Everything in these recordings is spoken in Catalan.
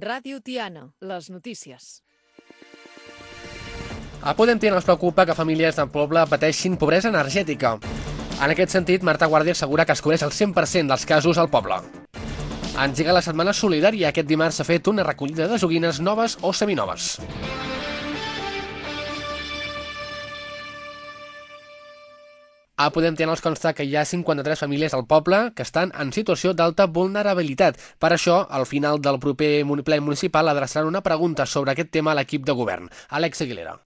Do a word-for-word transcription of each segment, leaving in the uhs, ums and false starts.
Ràdio Tiana, les notícies. A Podem Tiana els preocupa que famílies del poble pateixin pobresa energètica. En aquest sentit, Marta Guàrdia assegura que es cobreix el cent per cent dels casos al poble. Engega la setmana solidària. Aquest dimarts s'ha fet una recollida de joguines noves o seminoves. A Podem Tiana els consta que hi ha cinquanta-tres famílies al poble que estan en situació d'alta vulnerabilitat. Per això, al final del proper ple municipal adreçaran una pregunta sobre aquest tema a l'equip de govern. Àlex Aguilera.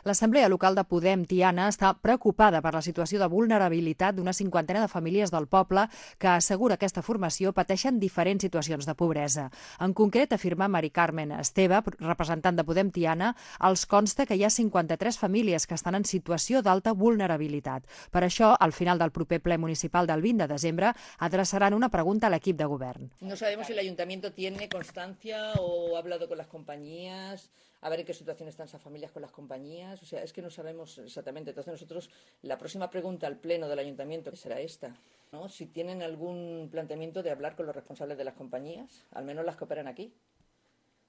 L'Assemblea Local de Podem Tiana està preocupada per la situació de vulnerabilitat d'una cinquantena de famílies del poble que, assegura aquesta formació, pateixen diferents situacions de pobresa. En concret, afirma Mari Carmen Esteve, representant de Podem Tiana, els consta que hi ha cinquanta-tres famílies que estan en situació d'alta vulnerabilitat. Per això, al final del proper ple municipal del vint de desembre, adreçaran una pregunta a l'equip de govern. No sabemos si el ayuntamiento tiene constancia o ha hablado con las compañías, a ver en qué situación están esas familias con las compañías. O sea, es que no sabemos exactamente. Entonces nosotros, la próxima pregunta al pleno del ayuntamiento será esta, ¿no? Si tienen algún planteamiento de hablar con los responsables de las compañías, al menos las que operan aquí.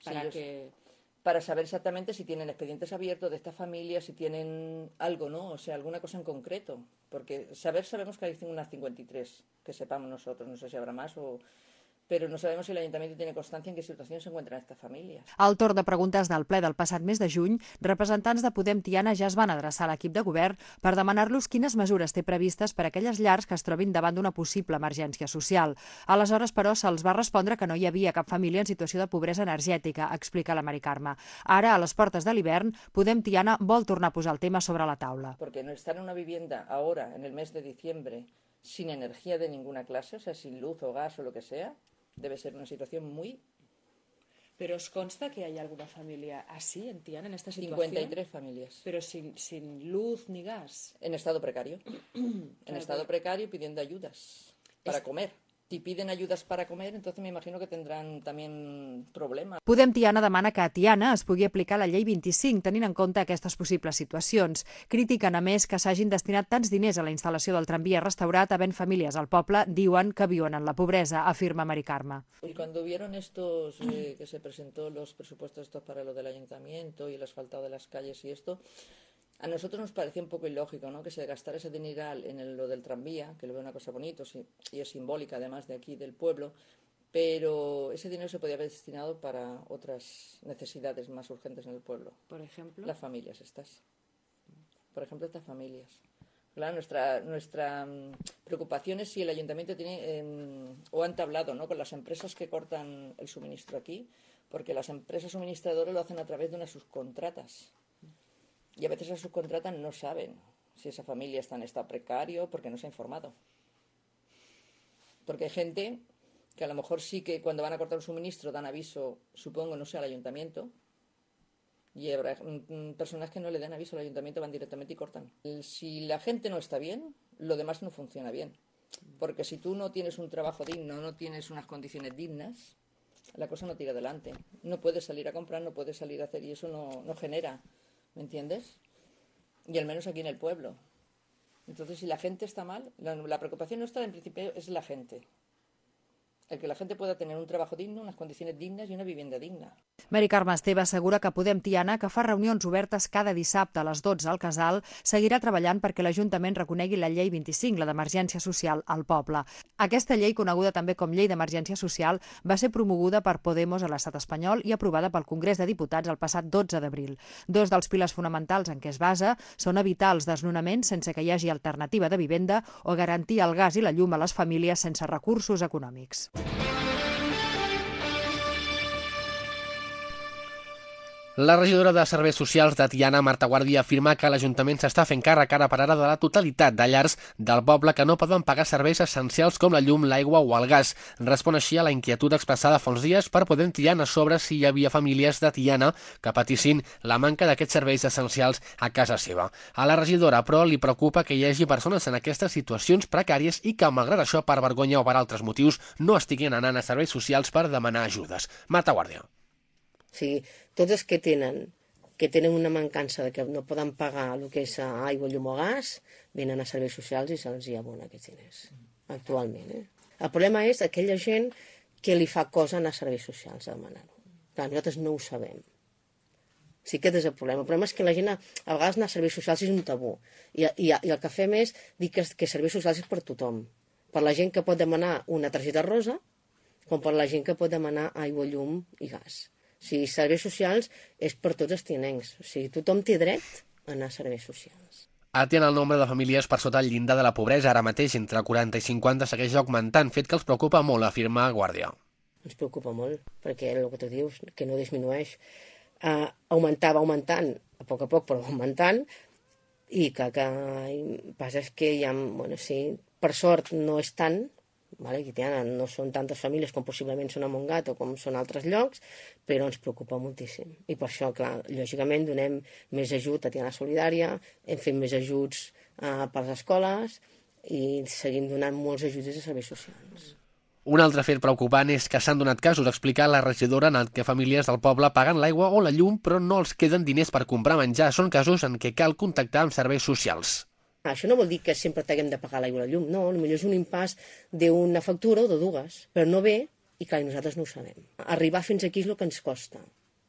Para si ellos, que... para saber exactamente si tienen expedientes abiertos de estas familias, si tienen algo, ¿no? O sea, alguna cosa en concreto. Porque saber, sabemos que hay unas cincuenta y tres, que sepamos nosotros, no sé si habrá más o... però no sabem si l'Ajuntament tiene constància en què situació s'encuentren aquestes famílies. Al torn de preguntes del ple del passat mes de juny, representants de Podem Tiana ja es van adreçar a l'equip de govern per demanar-los quines mesures té previstes per a aquelles llars que es trobin davant d'una possible emergència social. Aleshores, però, se'ls va respondre que no hi havia cap família en situació de pobresa energètica, explica la Mari Carme. Ara, a les portes de l'hivern, Podem Tiana vol tornar a posar el tema sobre la taula. Porque no estar en una vivienda ahora, en el mes de diciembre, sin energía de ninguna clase, o sea, sin luz o gas o lo que sea, debe ser una situación muy... ¿Pero os consta que hay alguna familia así en Tiana, en esta situación? cincuenta y tres familias. ¿Pero sin, sin luz ni gas? En estado precario. En Claro. estado precario pidiendo ayudas para Es- comer. Si piden ayudas para comer, entonces me imagino que tendrán también problemas. Podem Tiana demana que a Tiana es pugui aplicar la llei vint-i-cinc, tenint en compte aquestes possibles situacions. Critiquen, a més, que s'hagin destinat tants diners a la instal·lació del tramvia restaurat havent famílies al poble, diuen que viuen en la pobresa, afirma Mari Carme. Y cuando vieron estos, eh, que se presentó los presupuestos estos para lo del ayuntamiento y el asfaltado de las calles y esto, a nosotros nos parecía un poco ilógico, ¿no? Que se gastara ese dineral en el- lo del tranvía, que lo veo una cosa bonita sí, y es simbólica además de aquí del pueblo, pero ese dinero se podía haber destinado para otras necesidades más urgentes en el pueblo. Por ejemplo. Las familias estas. Por ejemplo, estas familias. Claro, nuestra, nuestra mm, preocupación es si el ayuntamiento tiene em, o ha entablado, ¿no? Con las empresas que cortan el suministro aquí, porque las empresas suministradoras lo hacen a través de unas subcontratas. Y a veces las subcontratas no saben si esa familia está en estado precario porque no se ha informado. Porque hay gente que a lo mejor sí que cuando van a cortar un suministro dan aviso, supongo, no sé, al ayuntamiento, y habrá mm, personas que no le dan aviso al ayuntamiento, van directamente y cortan. Si la gente no está bien, lo demás no funciona bien. Porque si tú no tienes un trabajo digno, no tienes unas condiciones dignas, la cosa no tira adelante. No puedes salir a comprar, no puedes salir a hacer, y eso no, no genera, ¿me entiendes? Y al menos aquí en el pueblo. Entonces, si la gente está mal, la, la preocupación nuestra en principio es la gente. El que la gente pueda tener un trabajo digno, unas condiciones dignas y una vivienda digna. Mari Carme Esteve assegura que Podem Tiana, que fa reunions obertes cada dissabte a les dotze al Casal, seguirà treballant perquè l'Ajuntament reconegui la llei vint-i-cinc, la d'emergència social, al poble. Aquesta llei, coneguda també com Llei d'Emergència Social, va ser promoguda per Podemos a l'estat espanyol i aprovada pel Congrés de Diputats el passat dotze d'abril. Dos dels pilars fonamentals en què es basa són evitar els desnonaments sense que hi hagi alternativa de vivenda o garantir el gas i la llum a les famílies sense recursos econòmics. La regidora de Serveis Socials de Tiana, Marta Guàrdia, afirma que l'Ajuntament s'està fent càrrec ara per ara de la totalitat de llars del poble que no poden pagar serveis essencials com la llum, l'aigua o el gas. Respon així a la inquietud expressada fa uns dies per Podem Tiana sobre si hi havia famílies de Tiana que patissin la manca d'aquests serveis essencials a casa seva. A la regidora, però, li preocupa que hi hagi persones en aquestes situacions precàries i que, malgrat això, per vergonya o per altres motius, no estiguin anant a serveis socials per demanar ajudes. Marta Guàrdia. O sigui, tots els que tenen, que tenen una mancança de que no poden pagar el que és aigua, llum o gas, venen a serveis socials i se'ls hi abona aquests diners, actualment. Eh? El problema és aquella gent que li fa cosa anar a serveis socials a demanar-ho. Clar, nosaltres no ho sabem. Sí que és el problema. El problema és que la gent, a, a vegades anar a serveis socials és un tabú. I, i, i el que fem és dir que, que serveis socials és per tothom. Per la gent que pot demanar una targeta rosa, com per la gent que pot demanar aigua, llum i gas. O sigui, serveis socials és per tots els tianencs. O sigui, tothom té dret a anar a serveis socials. A Tiana el nombre de famílies per sota el llindar de la pobresa ara mateix entre quaranta i cinquanta segueix augmentant, fet que els preocupa molt, afirma Guàrdia. Ens preocupa molt, perquè el que tu dius, que no disminueix. Uh, augmentava augmentant, a poc a poc, però augmentant, i que, que passa és que hi ha, bueno, sí, per sort no és tant, vale? Aquí Tiana no són tantes famílies com possiblement són a Montgat o com són altres llocs, però ens preocupa moltíssim. I per això, clar, lògicament donem més ajut a Tiana Solidària, hem fet més ajuts uh, per les escoles i seguim donant molts ajuts a serveis socials. Un altre fet preocupant és que s'han donat casos, explica la regidora, en què famílies del poble paguen l'aigua o la llum però no els queden diners per comprar menjar. Són casos en què cal contactar amb serveis socials. Això no vol dir que sempre t'haguem de pagar l'aigua o la llum, no, potser és un impàs d'una factura o de dues, però no ve i clar, nosaltres no ho sabem. Arribar fins aquí és el que ens costa.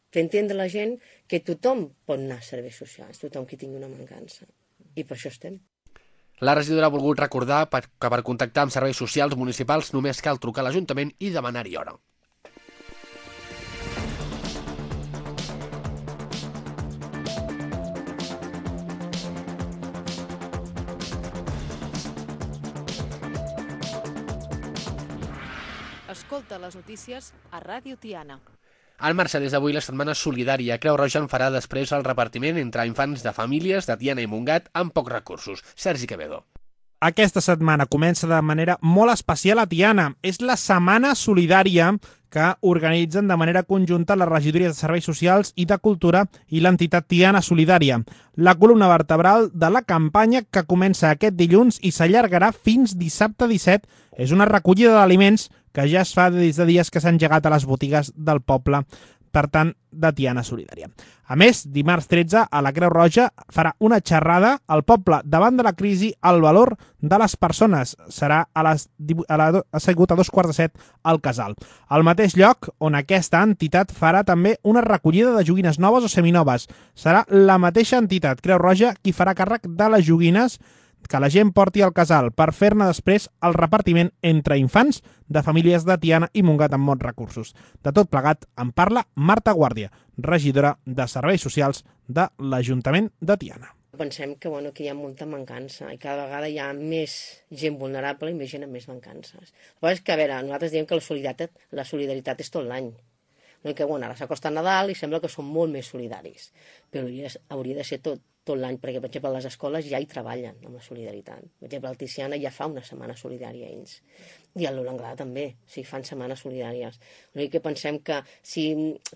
Fer entendre a la gent que tothom pot anar a serveis socials, tothom que tingui una mancança. I per això estem. La regidora ha volgut recordar que per contactar amb serveis socials municipals només cal trucar a l'Ajuntament i demanar-hi hora. Escolta les notícies a Ràdio Tiana. En marxa des d'avui la setmana solidària. Creu Roja en farà després el repartiment entre infants de famílies de Tiana i Montgat amb pocs recursos. Sergi Quevedo. Aquesta setmana comença de manera molt especial a Tiana. És la setmana solidària que organitzen de manera conjunta les regidories de Serveis Socials i de Cultura i l'entitat Tiana Solidària. La columna vertebral de la campanya que comença aquest dilluns i s'allargarà fins dissabte disset és una recollida d'aliments que ja es fa des de dies que s'han engegat a les botigues del poble, per tant, de Tiana Solidària. A més, dimarts tretze, a la Creu Roja farà una xerrada al poble davant de la crisi al valor de les persones. Serà a les, a la, ha sigut a dos quarts de set al Casal. Al mateix lloc on aquesta entitat farà també una recollida de joguines noves o seminoves. Serà la mateixa entitat, Creu Roja, qui farà càrrec de les joguines que la gent porti al Casal per fer-ne després el repartiment entre infants de famílies de Tiana i Montgat amb molts recursos. De tot plegat en parla Marta Guàrdia, regidora de Serveis Socials de l'Ajuntament de Tiana. Pensem que, bueno, que hi ha molta mancança i cada vegada hi ha més gent vulnerable i més gent amb més mancances. El que és que, a veure, nosaltres diem que la solidaritat, la solidaritat és tot l'any. Que, bueno, ara s'acosta Nadal i sembla que són molt més solidaris, però hauria, hauria de ser tot, tot l'any, perquè, per exemple, les escoles ja hi treballen amb la solidaritat. Per exemple, el Tiziana ja fa una setmana solidària a ells. I a l'Olanglada també, o sigui, fan setmanes solidàries. O sigui que pensem que si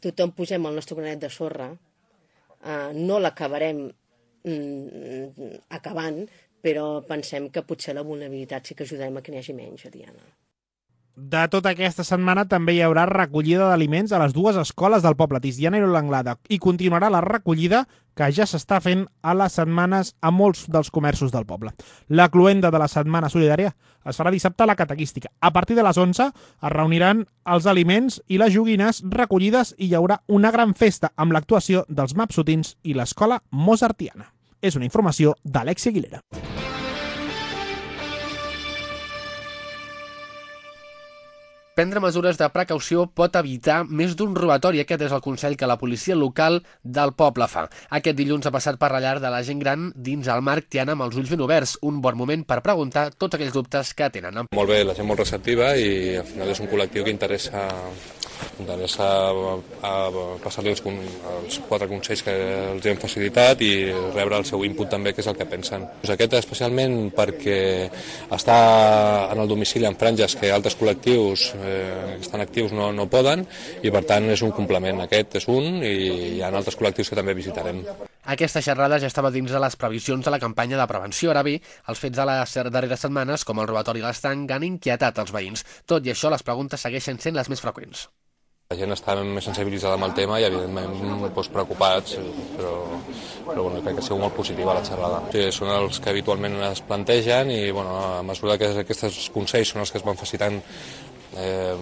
tothom posem el nostre granet de sorra, eh, no l'acabarem mm, acabant, però pensem que potser la vulnerabilitat sí que ajudarem a que n'hi hagi menys a Tiana. De tota aquesta setmana també hi haurà recollida d'aliments a les dues escoles del poble, Tiziana i l'Anglada, i continuarà la recollida que ja s'està fent a les setmanes a molts dels comerços del poble. La cloenda de la setmana solidària es farà dissabte a la Catequística. A partir de les onze es reuniran els aliments i les joguines recollides i hi haurà una gran festa amb l'actuació dels Mapsotins i l'escola Mozartiana. És una informació d'Alexia Aguilera. Prendre mesures de precaució pot evitar més d'un robatori. Aquest és el consell que la policia local del poble fa. Aquest dilluns ha passat per la llar de la gent gran dins el Marc Tiana amb els ulls ben oberts. Un bon moment per preguntar tots aquells dubtes que tenen. Molt bé, la gent molt receptiva i al final és un col·lectiu que interessa, interessa a passar-li els, els quatre consells que els hem facilitat i rebre el seu input també, que és el que pensen. Aquest especialment perquè està en el domicili en franges que altres col·lectius eh, que estan actius no, no poden i per tant és un complement. Aquest és un i hi ha altres col·lectius que també visitarem. Aquesta xerrada ja estava dins de les previsions de la campanya de prevenció. Ara bé, els fets de les darreres setmanes, com el robatori a l'estanc, han inquietat els veïns. Tot i això, les preguntes segueixen sent les més freqüents. La gent està més sensibilitzada amb el tema i, evidentment, doncs, preocupats, però, però bueno, crec que ha sigut molt positiva la xerrada. Sí, són els que habitualment es plantegen i, bueno, a mesura que aquests consells són els que es van facilitant Eh,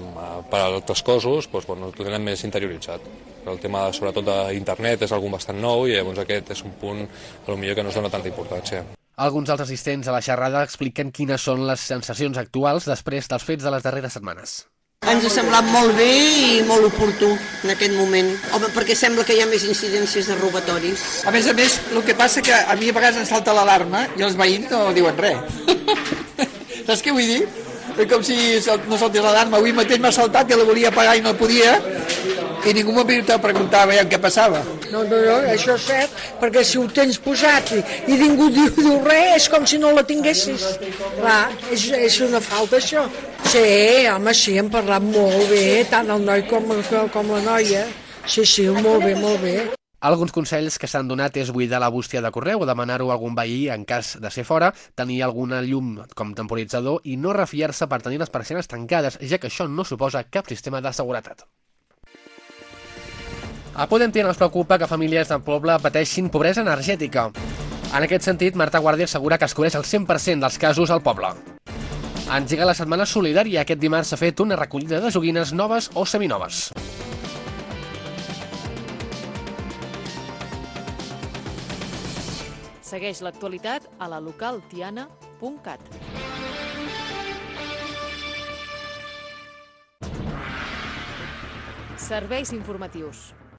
per a altres coses doncs, bueno, ho tenen més interioritzat. Però el tema, sobretot d'internet, és algun bastant nou i llavors aquest és un punt potser que no es dona tanta importància. Alguns dels assistents a la xerrada expliquen quines són les sensacions actuals després dels fets de les darreres setmanes. Ens ha semblat molt bé i molt oportú en aquest moment. Home, perquè sembla que hi ha més incidències de robatoris. A més a més, el que passa que a mi a vegades em salta l'alarma i els veïns no diuen res. Saps què vull dir? És com si no saltés l'alarma. Avui mateix m'ha saltat i la volia apagar i no podia i ningú m'ha vingut a preguntar veiem què passava. No, no, no, això és cert, perquè si ho tens posat i, i ningú diu, diu res, és com si no la tinguessis. Clar, és, és una falta, això. Sí, home, sí, hem parlat molt bé, tant el noi com, com la noia. Sí, sí, molt bé, molt bé. Alguns consells que s'han donat és buidar la bústia de correu o demanar-ho a algun veí en cas de ser fora, tenir alguna llum com temporitzador i no refiar-se per tenir les persianes tancades, ja que això no suposa cap sistema de seguretat. A Podem Tiana els preocupa que famílies del poble pateixin pobresa energètica. En aquest sentit, Marta Guàrdia assegura que es cobreix el cent per cent dels casos al poble. Engega la setmana solidària. Aquest dimarts s'ha fet una recollida de joguines noves o seminoves. Segueix l'actualitat a la local tiana punt cat. Serveis informatius.